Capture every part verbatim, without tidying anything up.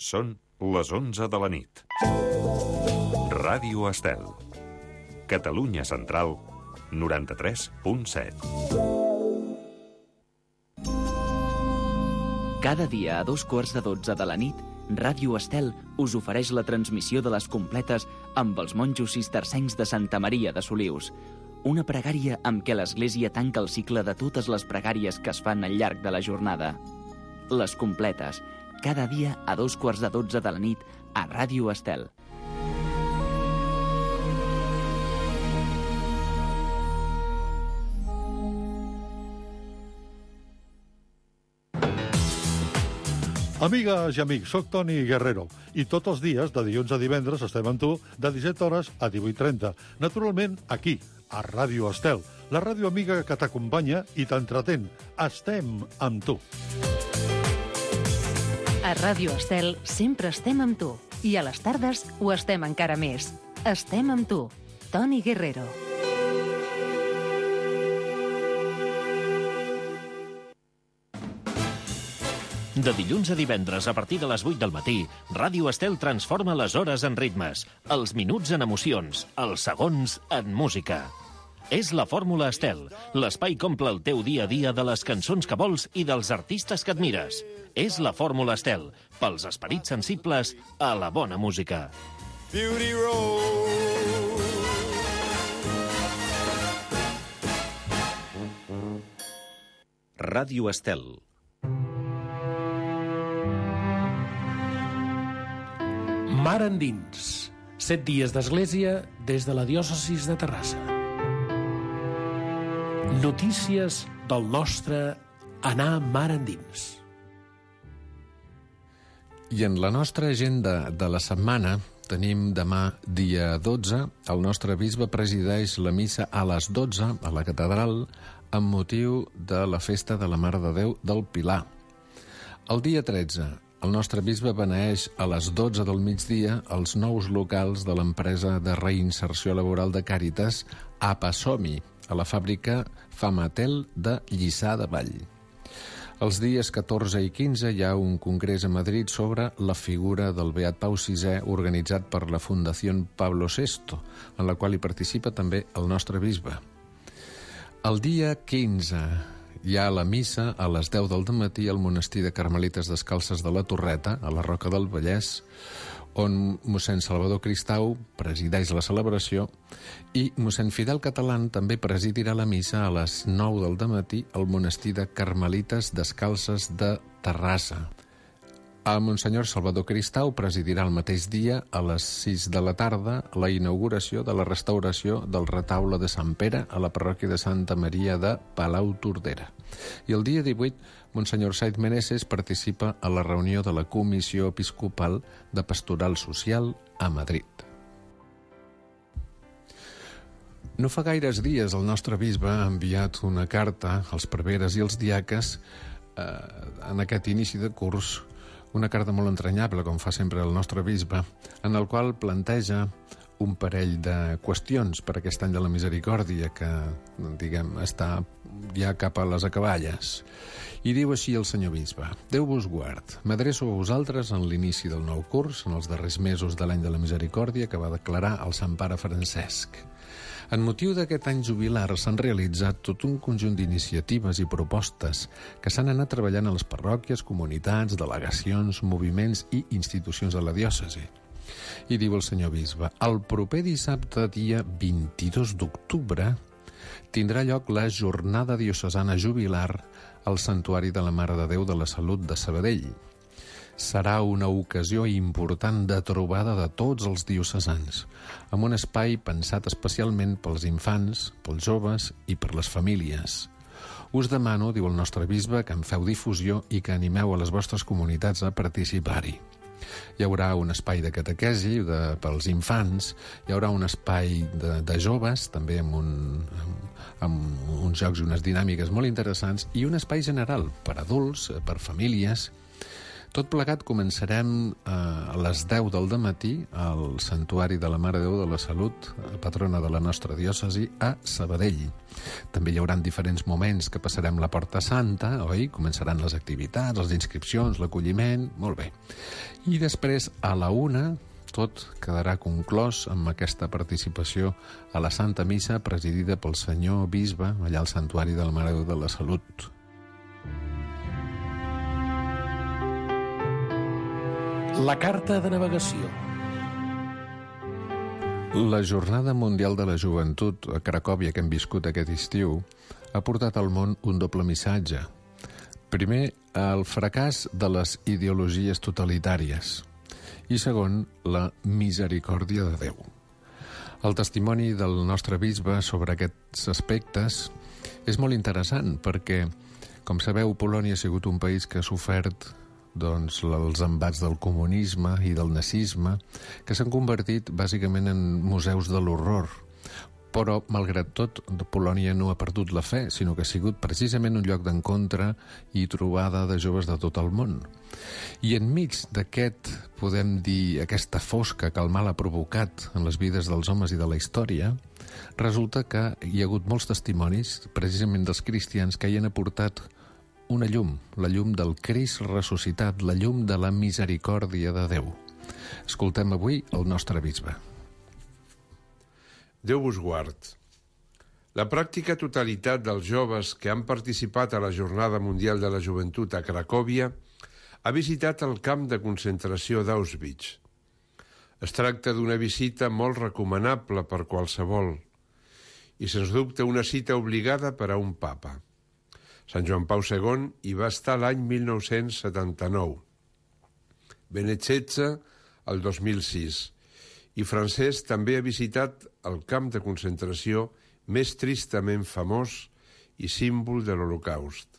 Són les onze de la nit. Ràdio Estel. Catalunya Central, noranta-tres punt set. Cada dia a dos quarts de dotze de la nit, Ràdio Estel us ofereix la transmissió de les completes amb els monjos cistercencs de Santa Maria de Solius. Una pregària amb què l'Església tanca el cicle de totes les pregàries que es fan al llarg de la jornada. Les completes, cada dia a dos quarts de dotze de la nit a Ràdio Estel. Amigues i amics, soc Toni Guerrero i tots els dies, de dilluns a divendres, estem amb tu de disset hores a divuit trenta. Naturalment, aquí, a Ràdio Estel, la ràdio amiga que t'acompanya i t'entretén. Estem amb tu. A Ràdio Estel sempre estem amb tu. I a les tardes ho estem encara més. Estem amb tu. Toni Guerrero. De dilluns a divendres, a partir de les vuit del matí, Ràdio Estel transforma les hores en ritmes, els minuts en emocions, els segons en música. És la Fórmula Estel, l'espai que omple el teu dia a dia de les cançons que vols i dels artistes que admires. És la Fórmula Estel, pels esperits sensibles a la bona música. Beauty Road. Ràdio Estel. Mar endins. Set dies d'església des de la diòcesis de Terrassa. Notícies del nostre anar mar endins. I en la nostra agenda de la setmana tenim demà, dia dotze, el nostre bisbe presideix la missa a les dotze a la catedral amb motiu de la festa de la Mare de Déu del Pilar. El dia tretze, el nostre bisbe beneeix a les dotze del migdia els nous locals de l'empresa de reinserció laboral de Càritas Apasomi, a la fàbrica Famatel de Lliçà de Vall. Els dies catorze i quinze hi ha un congrés a Madrid sobre la figura del Beat Pau sisè organitzat per la Fundació Pablo sexto, en la qual hi participa també el nostre bisbe. El dia quinze hi ha la missa a les deu del matí al monestir de Carmelites Descalces de la Torreta, a la Roca del Vallès, on mossèn Salvador Cristau presideix la celebració i mossèn Fidel Catalán també presidirà la missa a les nou del matí al monestir de Carmelites Descalces de Terrassa. El monsenyor Salvador Cristau presidirà el mateix dia, a les sis de la tarda, la inauguració de la restauració del retaule de Sant Pere a la parròquia de Santa Maria de Palau-Tordera. I el dia divuit, monsenyor Said Meneses participa a la reunió de la Comissió Episcopal de Pastoral Social a Madrid. No fa gaires dies el nostre bisbe ha enviat una carta als preveres i als diaques eh, en aquest inici de curs, una carta molt entranyable, com fa sempre el nostre bisbe, en el qual planteja un parell de qüestions per aquest any de la misericòrdia que, diguem, està ja cap a les acaballes. I diu així el senyor bisbe: Déu vos guard, m'adreço a vosaltres en l'inici del nou curs, en els darrers mesos de l'any de la misericòrdia que va declarar el Sant Pare Francesc. En motiu d'aquest any jubilar s'han realitzat tot un conjunt d'iniciatives i propostes que s'han anat treballant a les parròquies, comunitats, delegacions, moviments i institucions de la diòcesi. I diu el senyor bisbe: el proper dissabte, dia vint-i-dos d'octubre, tindrà lloc la jornada diocesana jubilar al Santuari de la Mare de Déu de la Salut de Sabadell. Serà una ocasió important de trobada de tots els diocesans, amb un espai pensat especialment pels infants, pels joves i per les famílies. Us demano, diu el nostre bisbe, que en feu difusió i que animeu a les vostres comunitats a participar-hi. Hi haurà un espai de catequesi de, pels infants, hi haurà un espai de, de joves, també amb, un, amb, amb uns jocs i unes dinàmiques molt interessants, i un espai general per adults, per famílies. Tot plegat començarem a les deu del dematí al Santuari de la Mare de Déu de la Salut, patrona de la nostra diòcesi, a Sabadell. També hi haurà diferents moments que passarem la Porta Santa, oi? Començaran les activitats, les inscripcions, l'acolliment, molt bé. I després, a la una, tot quedarà conclòs amb aquesta participació a la Santa Missa presidida pel senyor bisbe allà al Santuari de la Mare de Déu de la Salut. La carta de navegació. La Jornada Mundial de la Joventut a Cracòvia que hem viscut aquest estiu ha portat al món un doble missatge. Primer, el fracàs de les ideologies totalitàries i segon, la misericòrdia de Déu. El testimoni del nostre bisbe sobre aquests aspectes és molt interessant perquè, com sabeu, Polònia ha sigut un país que ha sofert doncs, els embats del comunisme i del nazisme, que s'han convertit bàsicament en museus de l'horror. Però, malgrat tot, Polònia no ha perdut la fe, sinó que ha sigut precisament un lloc d'encontre i trobada de joves de tot el món. I enmig d'aquest, podem dir, aquesta fosca que el mal ha provocat en les vides dels homes i de la història, resulta que hi ha hagut molts testimonis, precisament dels cristians, que hi han aportat una llum, la llum del Crist ressuscitat, la llum de la misericòrdia de Déu. Escoltem avui el nostre bisbe. Déu vos guard. La pràctica totalitat dels joves que han participat a la Jornada Mundial de la Joventut a Cracòvia ha visitat el camp de concentració d'Auschwitz. Es tracta d'una visita molt recomanable per qualsevol i, sens dubte, una cita obligada per a un papa. Sant Joan Pau segon hi va estar l'any mil nou-cents setanta-nou, Benet setze el dos mil sis, i Francesc també ha visitat el camp de concentració més tristament famós i símbol de l'Holocaust.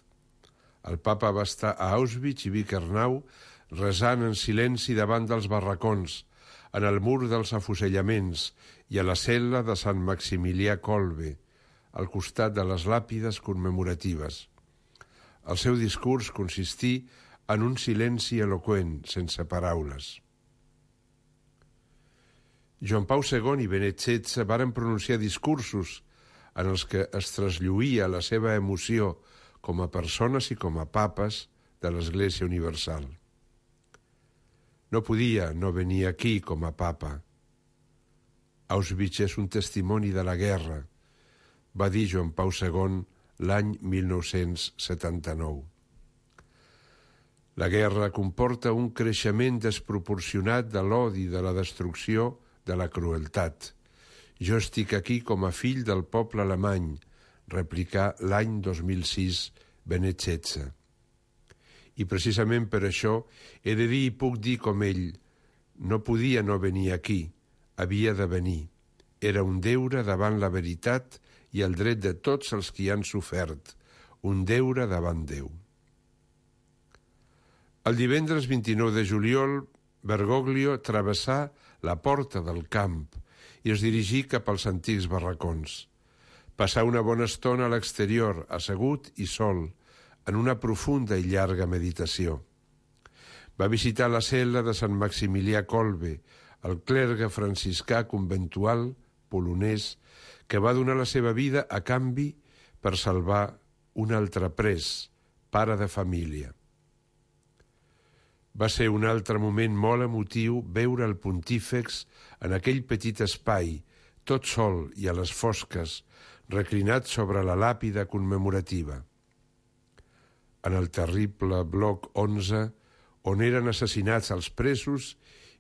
El papa va estar a Auschwitz i Birkenau resant en silenci davant dels barracons, en el mur dels afusellaments i a la cel·la de Sant Maximilià Kolbe, al costat de les làpides commemoratives. El seu discurs consistí en un silenci eloqüent, sense paraules. Joan Pau segon i Benet setze varen pronunciar discursos en els que es traslluïa la seva emoció com a persones i com a papes de l'Església Universal. No podia no venir aquí com a papa. Auschwitz és un testimoni de la guerra, va dir Joan Pau segon l'any mil nou-cents setanta-nou. La guerra comporta un creixement desproporcionat de l'odi, de la destrucció, de la crueltat. Jo estic aquí com a fill del poble alemany, replicà l'any dos mil sis Benet setze. I precisament per això he de dir i puc dir com ell, no podia no venir aquí, havia de venir. Era un deure davant la veritat i el dret de tots els qui han sofert, un deure davant Déu. El divendres vint-i-nou de juliol, Bergoglio travessà la porta del camp i es dirigí cap als antics barracons. Passà una bona estona a l'exterior, assegut i sol, en una profunda i llarga meditació. Va visitar la cel·la de Sant Maximilià Kolbe, el clergue franciscà conventual polonès que va donar la seva vida a canvi per salvar un altre pres, pare de família. Va ser un altre moment molt emotiu veure el pontífex en aquell petit espai, tot sol i a les fosques, reclinat sobre la làpida commemorativa. En el terrible bloc onze, on eren assassinats els presos,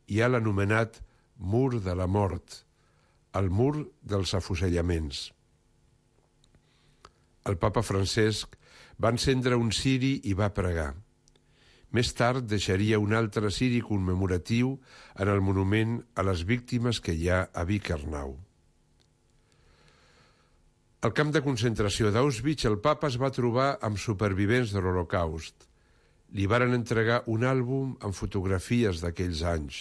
hi ha l'anomenat Mur de la Mort, el mur dels afusellaments. El papa Francesc va encendre un ciri i va pregar. Més tard deixaria un altre ciri commemoratiu en el monument a les víctimes que hi ha a Birkenau. Al camp de concentració d'Auschwitz, el papa es va trobar amb supervivents de l'Holocaust. Li varen entregar un àlbum amb fotografies d'aquells anys.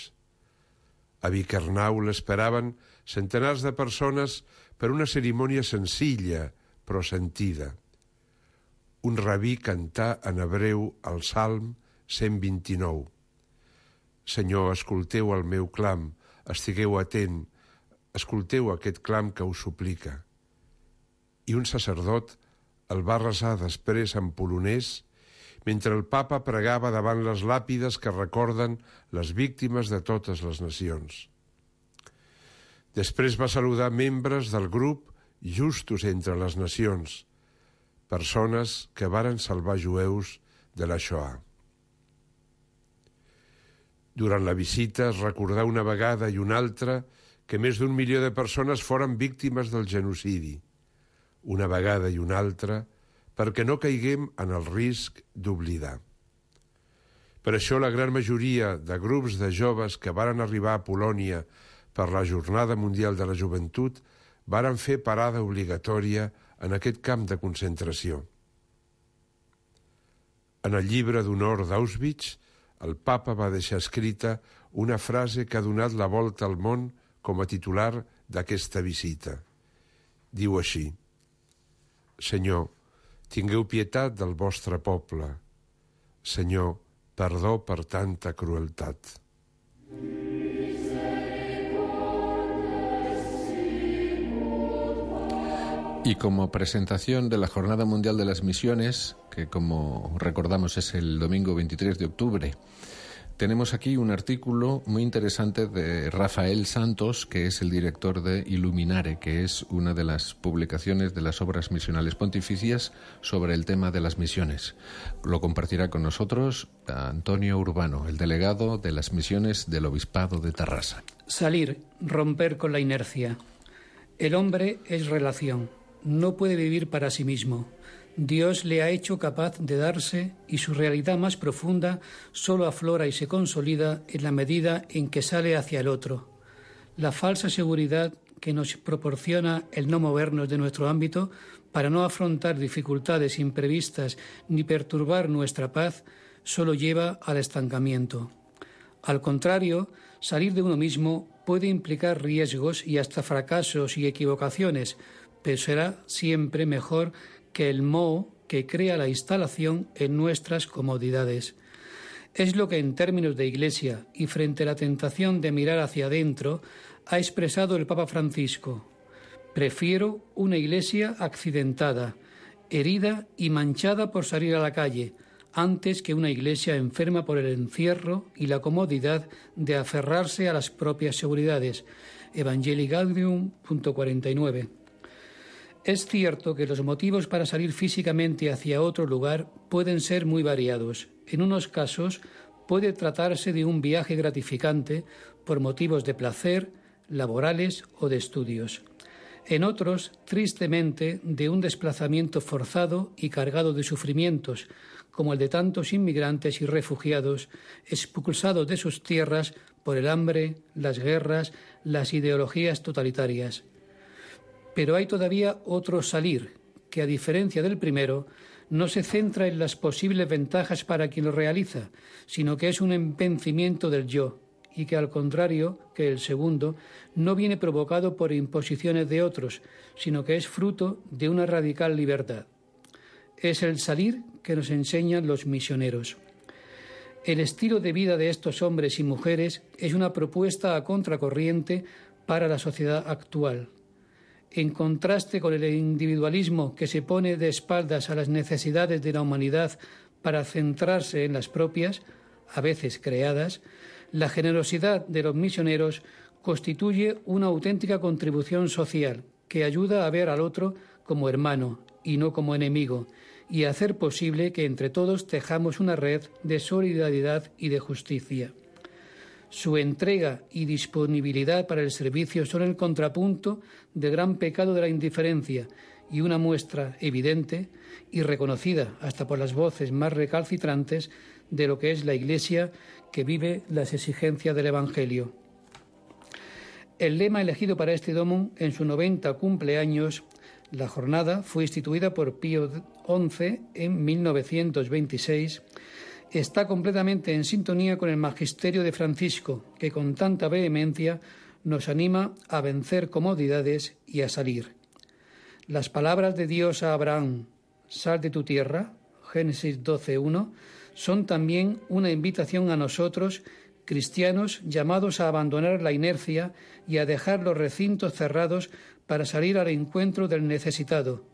A Birkenau l'esperaven centenars de persones per una cerimònia senzilla, però sentida. Un rabí cantà en hebreu el Salm cent vint-i-nou. Senyor, escolteu el meu clam, estigueu atent, escolteu aquest clam que us suplica. I un sacerdot el va resar després en polonès, mentre el papa pregava davant les làpides que recorden les víctimes de totes les nacions. Després va saludar membres del grup Justos entre les nacions, persones que varen salvar jueus de la Shoah. Durant la visita es recordà una vegada i una altra que més d'un milió de persones foren víctimes del genocidi. Una vegada i una altra perquè no caiguem en el risc d'oblidar. Per això la gran majoria de grups de joves que varen arribar a Polònia per la Jornada Mundial de la Joventut varen fer parada obligatòria en aquest camp de concentració. En el llibre d'honor d'Auschwitz, el papa va deixar escrita una frase que ha donat la volta al món com a titular d'aquesta visita. Diu així: Senyor, tingueu pietat del vostre poble. Senyor, perdó per tanta crueltat. Y como presentación de la Jornada Mundial de las Misiones, que como recordamos es el domingo veintitrés de octubre, tenemos aquí un artículo muy interesante de Rafael Santos, que es el director de Illuminare, que es una de las publicaciones de las obras misionales pontificias sobre el tema de las misiones. Lo compartirá con nosotros Antonio Urbano, el delegado de las misiones del Obispado de Tarrasa. Salir, romper con la inercia. El hombre es relación, no puede vivir para sí mismo. Dios le ha hecho capaz de darse y su realidad más profunda solo aflora y se consolida en la medida en que sale hacia el otro. La falsa seguridad que nos proporciona el no movernos de nuestro ámbito para no afrontar dificultades imprevistas ni perturbar nuestra paz solo lleva al estancamiento. Al contrario, salir de uno mismo puede implicar riesgos y hasta fracasos y equivocaciones, pero será siempre mejor que el moho que crea la instalación en nuestras comodidades. Es lo que en términos de Iglesia y frente a la tentación de mirar hacia adentro ha expresado el Papa Francisco. Prefiero una Iglesia accidentada, herida y manchada por salir a la calle, antes que una Iglesia enferma por el encierro y la comodidad de aferrarse a las propias seguridades. Evangelii Gaudium, punto cuarenta y nueve. Es cierto que los motivos para salir físicamente hacia otro lugar pueden ser muy variados. En unos casos puede tratarse de un viaje gratificante por motivos de placer, laborales o de estudios. En otros, tristemente, de un desplazamiento forzado y cargado de sufrimientos, como el de tantos inmigrantes y refugiados expulsados de sus tierras por el hambre, las guerras, las ideologías totalitarias. Pero hay todavía otro salir, que a diferencia del primero, no se centra en las posibles ventajas para quien lo realiza, sino que es un empencimiento del yo, y que al contrario que el segundo, no viene provocado por imposiciones de otros, sino que es fruto de una radical libertad. Es el salir que nos enseñan los misioneros. El estilo de vida de estos hombres y mujeres es una propuesta a contracorriente para la sociedad actual. En contraste con el individualismo que se pone de espaldas a las necesidades de la humanidad para centrarse en las propias, a veces creadas, la generosidad de los misioneros constituye una auténtica contribución social que ayuda a ver al otro como hermano y no como enemigo, y a hacer posible que entre todos tejamos una red de solidaridad y de justicia. Su entrega y disponibilidad para el servicio son el contrapunto del gran pecado de la indiferencia y una muestra evidente y reconocida hasta por las voces más recalcitrantes de lo que es la Iglesia que vive las exigencias del Evangelio. El lema elegido para este Domum en su noventa cumpleaños, la jornada fue instituida por Pío once en mil novecientos veintiséis, está completamente en sintonía con el magisterio de Francisco, que con tanta vehemencia nos anima a vencer comodidades y a salir. Las palabras de Dios a Abraham, sal de tu tierra, Génesis doce uno, son también una invitación a nosotros, cristianos, llamados a abandonar la inercia y a dejar los recintos cerrados para salir al encuentro del necesitado,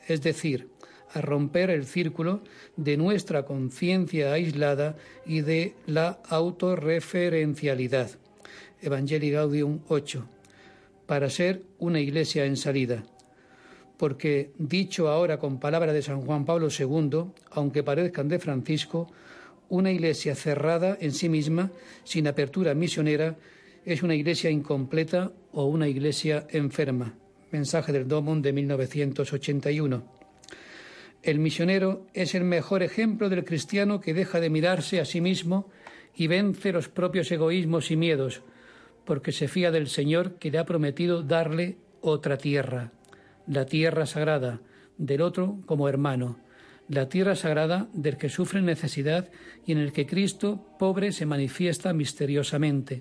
es decir, a romper el círculo de nuestra conciencia aislada y de la autorreferencialidad. Evangelii Gaudium ocho, para ser una iglesia en salida. Porque, dicho ahora con palabra de San Juan Pablo segundo, aunque parezcan de Francisco, una iglesia cerrada en sí misma, sin apertura misionera, es una iglesia incompleta o una iglesia enferma. Mensaje del Domum de mil novecientos ochenta y uno. El misionero es el mejor ejemplo del cristiano que deja de mirarse a sí mismo y vence los propios egoísmos y miedos, porque se fía del Señor que le ha prometido darle otra tierra, la tierra sagrada, del otro como hermano, la tierra sagrada del que sufre necesidad y en el que Cristo, pobre, se manifiesta misteriosamente.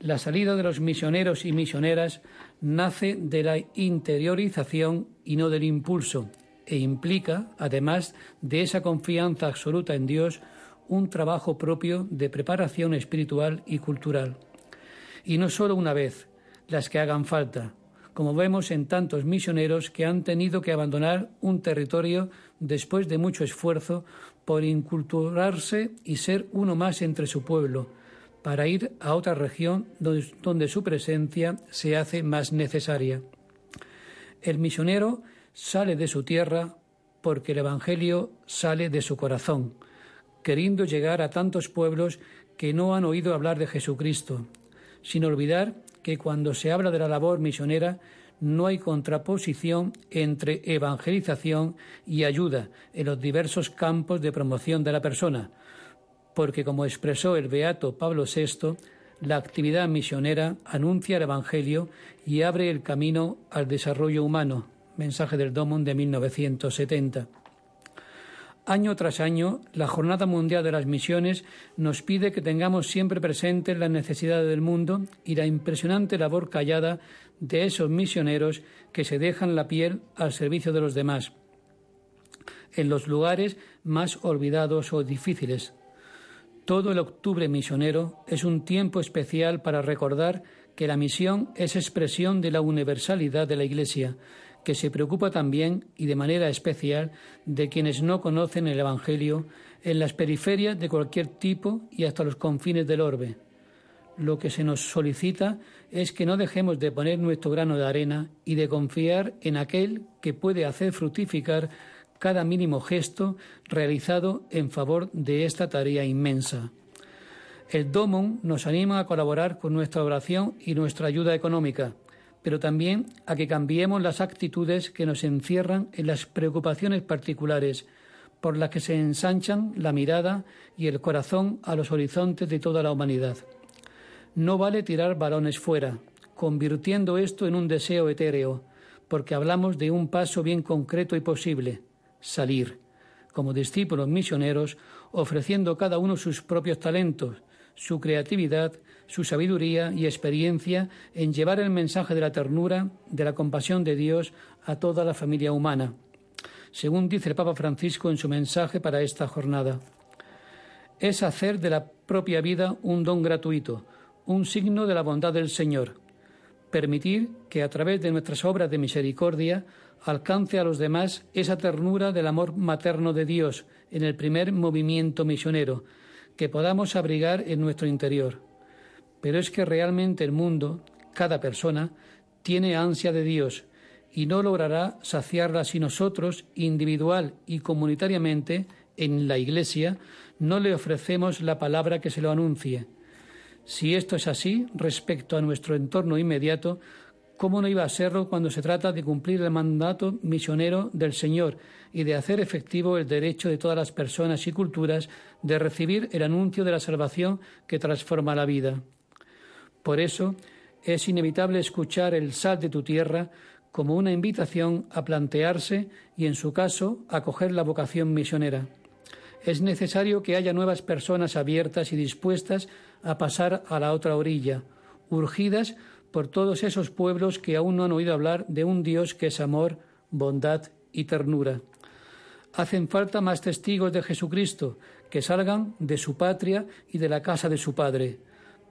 La salida de los misioneros y misioneras nace de la interiorización y no del impulso, e implica, además de esa confianza absoluta en Dios, un trabajo propio de preparación espiritual y cultural. Y no solo una vez, las que hagan falta, como vemos en tantos misioneros que han tenido que abandonar un territorio después de mucho esfuerzo por inculturarse y ser uno más entre su pueblo, para ir a otra región donde, donde su presencia se hace más necesaria. El misionero sale de su tierra porque el Evangelio sale de su corazón, queriendo llegar a tantos pueblos que no han oído hablar de Jesucristo, sin olvidar que cuando se habla de la labor misionera no hay contraposición entre evangelización y ayuda en los diversos campos de promoción de la persona, porque como expresó el beato Pablo sexto, la actividad misionera anuncia el Evangelio y abre el camino al desarrollo humano. Mensaje del Domum de mil novecientos setenta. Año tras año, la Jornada Mundial de las Misiones nos pide que tengamos siempre presentes las necesidades del mundo y la impresionante labor callada de esos misioneros que se dejan la piel al servicio de los demás, en los lugares más olvidados o difíciles. Todo el octubre misionero es un tiempo especial para recordar que la misión es expresión de la universalidad de la Iglesia, que se preocupa también y de manera especial de quienes no conocen el Evangelio en las periferias de cualquier tipo y hasta los confines del orbe. Lo que se nos solicita es que no dejemos de poner nuestro grano de arena y de confiar en aquel que puede hacer fructificar cada mínimo gesto realizado en favor de esta tarea inmensa. El Domum nos anima a colaborar con nuestra oración y nuestra ayuda económica, pero también a que cambiemos las actitudes que nos encierran en las preocupaciones particulares, por las que se ensanchan la mirada y el corazón a los horizontes de toda la humanidad. No vale tirar balones fuera, convirtiendo esto en un deseo etéreo, porque hablamos de un paso bien concreto y posible, salir, como discípulos misioneros, ofreciendo cada uno sus propios talentos, su creatividad, su sabiduría y experiencia en llevar el mensaje de la ternura, de la compasión de Dios a toda la familia humana, según dice el Papa Francisco en su mensaje para esta jornada. Es hacer de la propia vida un don gratuito, un signo de la bondad del Señor, permitir que a través de nuestras obras de misericordia alcance a los demás esa ternura del amor materno de Dios en el primer movimiento misionero, que podamos abrigar en nuestro interior. Pero es que realmente el mundo, cada persona, tiene ansia de Dios y no logrará saciarla si nosotros, individual y comunitariamente, en la Iglesia, no le ofrecemos la palabra que se lo anuncie. Si esto es así respecto a nuestro entorno inmediato, ¿cómo no iba a serlo cuando se trata de cumplir el mandato misionero del Señor y de hacer efectivo el derecho de todas las personas y culturas de recibir el anuncio de la salvación que transforma la vida? Por eso es inevitable escuchar el sal de tu tierra como una invitación a plantearse y, en su caso, acoger la vocación misionera. Es necesario que haya nuevas personas abiertas y dispuestas a pasar a la otra orilla, urgidas por todos esos pueblos que aún no han oído hablar de un Dios que es amor, bondad y ternura. Hacen falta más testigos de Jesucristo que salgan de su patria y de la casa de su padre,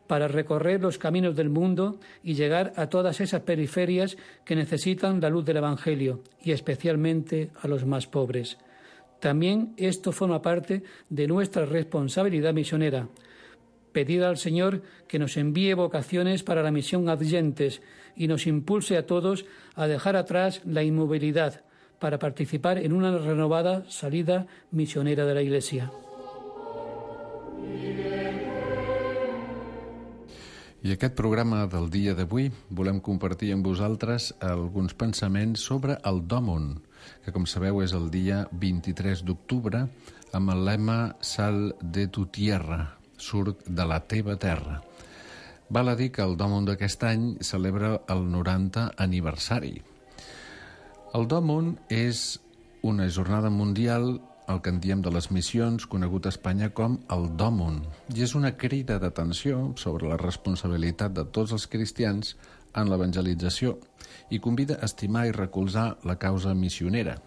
para recorrer los caminos del mundo y llegar a todas esas periferias que necesitan la luz del Evangelio, y especialmente a los más pobres. También esto forma parte de nuestra responsabilidad misionera. Pedir al Señor que nos envíe vocaciones para la misión adyentes y nos impulse a todos a dejar atrás la inmovilidad para participar en una renovada salida misionera de la Iglesia. I aquest programa del dia d'avui volem compartir amb vosaltres alguns pensaments sobre el Dòmun, que com sabeu és el dia vint-i-tres d'octubre amb el lema Sal de tu tierra, surt de la teva terra. Val a dir que el Dòmun d'aquest any celebra el noranta aniversari. El Dòmun és una jornada mundial, el que en diem de les missions, conegut a Espanya com el Dòmun, i és una crida d'atenció sobre la responsabilitat de tots els cristians en l'evangelització i convida a estimar i recolzar la causa missionera.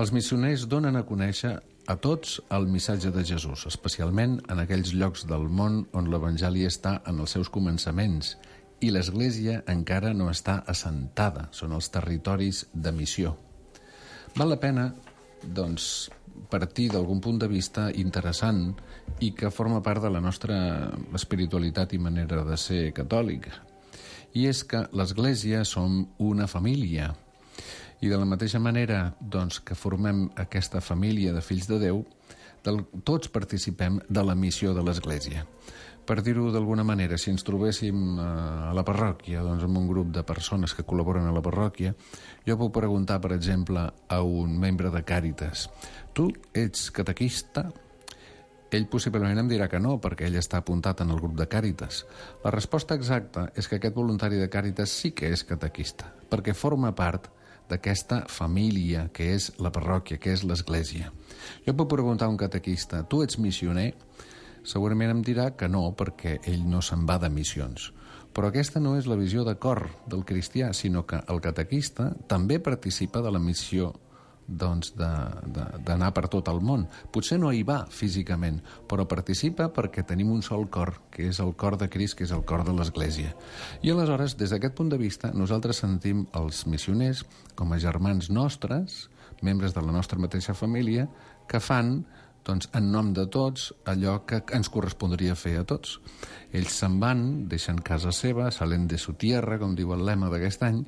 Els missioners donen a conèixer a tots el missatge de Jesús, especialment en aquells llocs del món on l'Evangeli està en els seus començaments i l'Església encara no està assentada, són els territoris de missió. Val la pena, doncs, partir d'algun punt de vista interessant i que forma part de la nostra espiritualitat i manera de ser catòlica. I és que l'Església som una família. I de la mateixa manera doncs, que formem aquesta família de fills de Déu, del, tots participem de la missió de l'Església. Per dir-ho d'alguna manera, si ens trobéssim a la parròquia, doncs, amb un grup de persones que col·laboren a la parròquia, jo puc preguntar, per exemple, a un membre de Càritas: tu ets catequista? Ell possiblement em dirà que no, perquè ell està apuntat en el grup de Càritas. La resposta exacta és que aquest voluntari de Càritas sí que és catequista, perquè forma part d'aquesta família que és la parròquia, que és l'Església. Jo puc preguntar a un catequista: tu ets missioner? Segurament em dirà que no, perquè ell no se'n va de missions. Però aquesta no és la visió de cor del cristià, sinó que el catequista també participa de la missió doncs, d'anar per tot el món. Potser no hi va físicament, però participa perquè tenim un sol cor, que és el cor de Crist, que és el cor de l'Església. I aleshores, des d'aquest punt de vista, nosaltres sentim els missioners com a germans nostres, membres de la nostra mateixa família, que fan doncs, en nom de tots, allò que ens correspondria fer a tots. Ells se'n van, deixen casa seva, salen de su tierra, com diu el lema d'aquest any,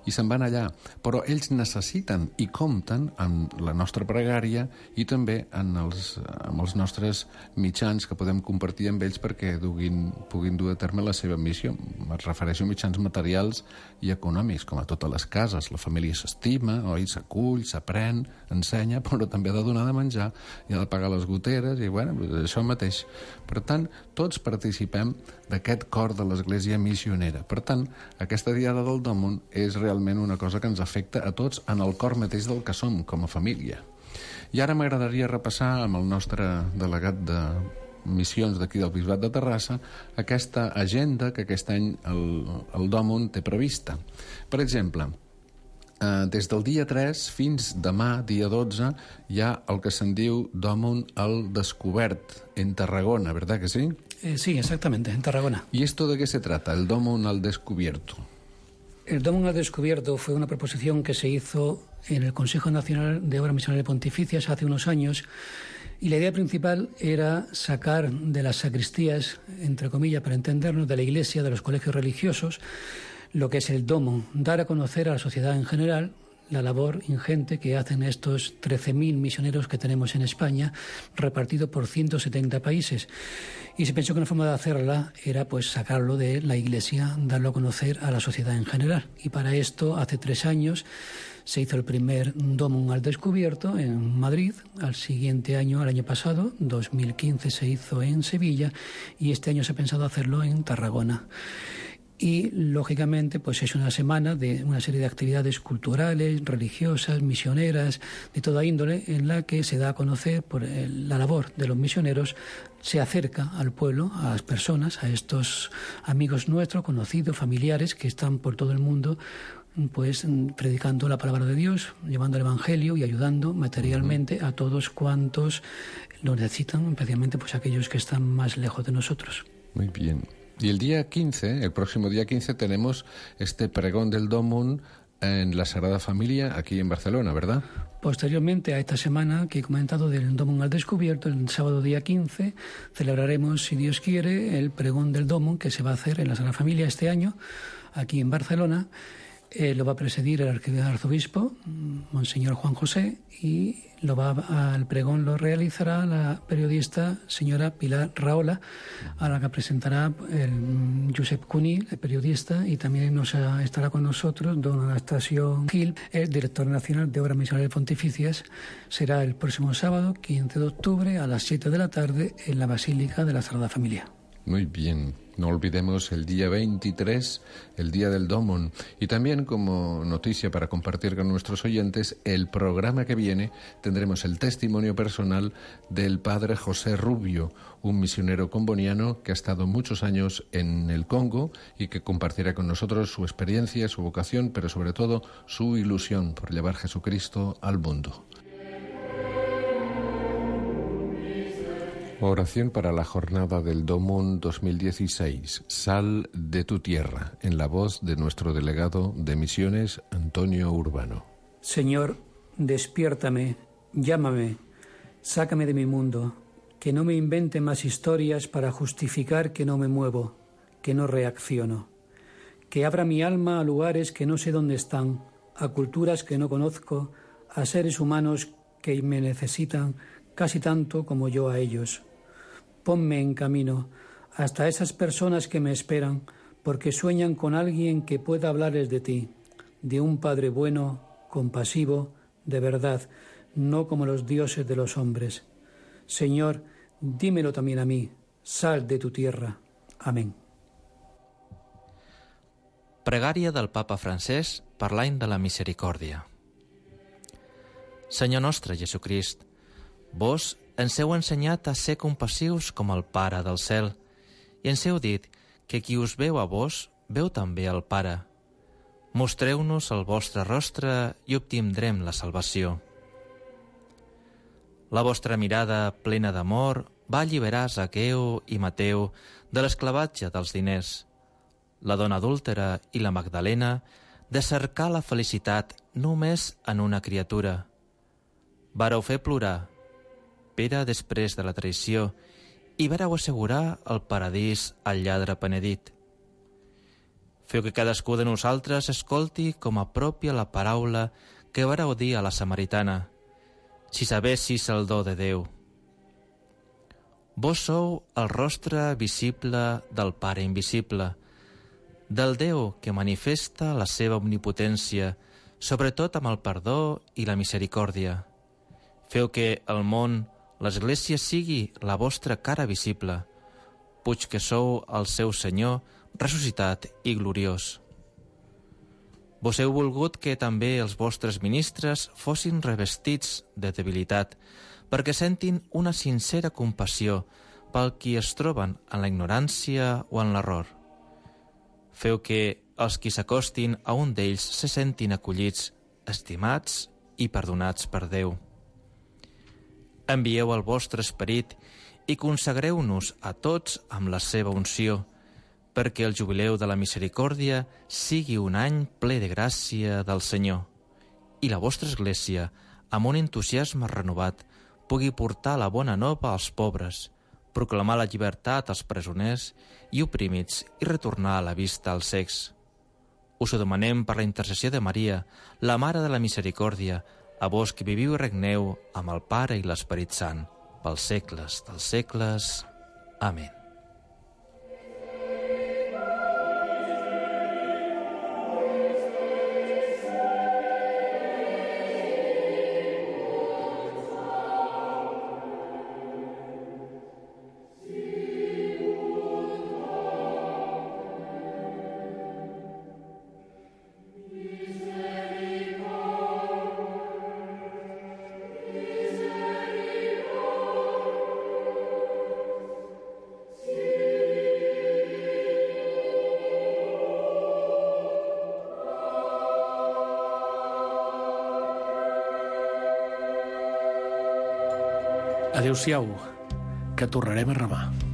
i se'n van allà. Però ells necessiten i compten amb la nostra pregària i també en els, amb els nostres mitjans que podem compartir amb ells perquè duguin, puguin dur a terme la seva missió. Me refereixo a mitjans materials i econòmics, com a totes les cases. La família s'estima, oi, s'acull, s'aprèn, ensenya, però també ha de donar de menjar i ha de pagar les goteres i, bueno, això mateix. Per tant, tots participem d'aquest cor de l'Església missionera. Per tant, aquesta diada del Dòmun és realment una cosa que ens afecta a tots en el cor mateix del que som, com a família. I ara m'agradaria repassar amb el nostre delegat de missions d'aquí del Bisbat de Terrassa aquesta agenda que aquest any el, el Dòmun té prevista. Per exemple, Uh, des del dia tres fins demà, dia dotze, hi ha el que se'n diu Dòmun al Descobert, en Tarragona, ¿verdad que sí? Eh, sí, exactamente, en Tarragona. ¿Y esto de qué se trata, el Dòmun al Descubierto? El Dòmun al Descubierto fue una proposición que se hizo en el Consejo Nacional de Obras Misionales Pontificias hace unos años, y la idea principal era sacar de las sacristías, entre comillas, para entendernos, de la Iglesia, de los colegios religiosos, lo que es el Dòmun, dar a conocer a la sociedad en general la labor ingente que hacen estos trece mil misioneros que tenemos en España, repartidos por ciento setenta países. Y se pensó que una forma de hacerla era pues sacarlo de la Iglesia, darlo a conocer a la sociedad en general. Y para esto, hace tres años, se hizo el primer Dòmun al Descubierto en Madrid. Al siguiente año, al año pasado, dos mil quince, se hizo en Sevilla, y este año se ha pensado hacerlo en Tarragona. Y, lógicamente, pues es una semana de una serie de actividades culturales, religiosas, misioneras, de toda índole, en la que se da a conocer por el, la labor de los misioneros, se acerca al pueblo, a las personas, a estos amigos nuestros, conocidos, familiares, que están por todo el mundo, pues predicando la palabra de Dios, llevando el Evangelio y ayudando materialmente uh-huh. a todos cuantos lo necesitan, especialmente pues aquellos que están más lejos de nosotros. Muy bien. Y el día quince, el próximo día quince, tenemos este pregón del Domum en la Sagrada Familia, aquí en Barcelona, ¿verdad? Posteriormente a esta semana que he comentado del Domum al Descubierto, el sábado día quince, celebraremos, si Dios quiere, el pregón del Domum que se va a hacer en la Sagrada Familia este año, aquí en Barcelona. Eh, lo va a presidir el arzobispo, Monseñor Juan José, y lo va a, al pregón lo realizará la periodista señora Pilar Rahola, a la que presentará el Josep Cuní, el periodista, y también nos estará con nosotros don Anastasio Gil, el director nacional de Obras Misionales Pontificias. Será el próximo sábado, quince de octubre, a las siete de la tarde, en la Basílica de la Sagrada Familia. Muy bien. No olvidemos el día veintitrés, el día del Domum. Y también, como noticia para compartir con nuestros oyentes, el programa que viene tendremos el testimonio personal del padre José Rubio, un misionero comboniano que ha estado muchos años en el Congo y que compartirá con nosotros su experiencia, su vocación, pero sobre todo su ilusión por llevar Jesucristo al mundo. Oración para la jornada del Domum dos mil dieciséis. Sal de tu tierra, en la voz de nuestro delegado de misiones, Antonio Urbano. Señor, despiértame, llámame, sácame de mi mundo, que no me invente más historias para justificar que no me muevo, que no reacciono, que abra mi alma a lugares que no sé dónde están, a culturas que no conozco, a seres humanos que me necesitan casi tanto como yo a ellos. Ponme en camino hasta esas personas que me esperan porque sueñan con alguien que pueda hablarles de ti, de un Padre bueno, compasivo, de verdad, no como los dioses de los hombres. Señor, dímelo también a mí, sal de tu tierra. Amén. Pregària del Papa Francesc per l'any de la misericòrdia. Senyor nostre Jesucrist, vos ens heu ensenyat a ser compassius com el Pare del cel i ens heu dit que qui us veu a vos veu també al Pare. Mostreu-nos el vostre rostre i obtindrem la salvació. La vostra mirada plena d'amor va alliberar Zaqueu i Mateu de l'esclavatge dels diners, la dona adúltera i la Magdalena de cercar la felicitat només en una criatura. Vareu fer plorar Pere després de la traïció i vareu assegurar el paradís al lladre penedit. Feu que cadascú de nosaltres escolti com a pròpia la paraula que vareu dir a la samaritana, si sabessis el do de Déu. Vos sou el rostre visible del Pare invisible, del Déu que manifesta la seva omnipotència, sobretot amb el perdó i la misericòrdia. Feu que el món, l'Església sigui la vostra cara visible, puig que sou el seu Senyor ressuscitat i gloriós. Vos heu volgut que també els vostres ministres fossin revestits de debilitat, perquè sentin una sincera compassió pel qui es troben en la ignorància o en l'error. Feu que els qui s'acostin a un d'ells se sentin acollits, estimats i perdonats per Déu. Envieu el vostre esperit i consagreu-nos a tots amb la seva unció, perquè el jubileu de la misericòrdia sigui un any ple de gràcia del Senyor i la vostra Església, amb un entusiasme renovat, pugui portar la bona nova als pobres, proclamar la llibertat als presoners i oprimits i retornar la vista als cecs. Us ho demanem per la intercessió de Maria, la Mare de la Misericòrdia, a vos que viviu i regneu amb el Pare i l'Esperit Sant, pels segles dels segles. Amén. Adéu-siau, que tornarem a remar.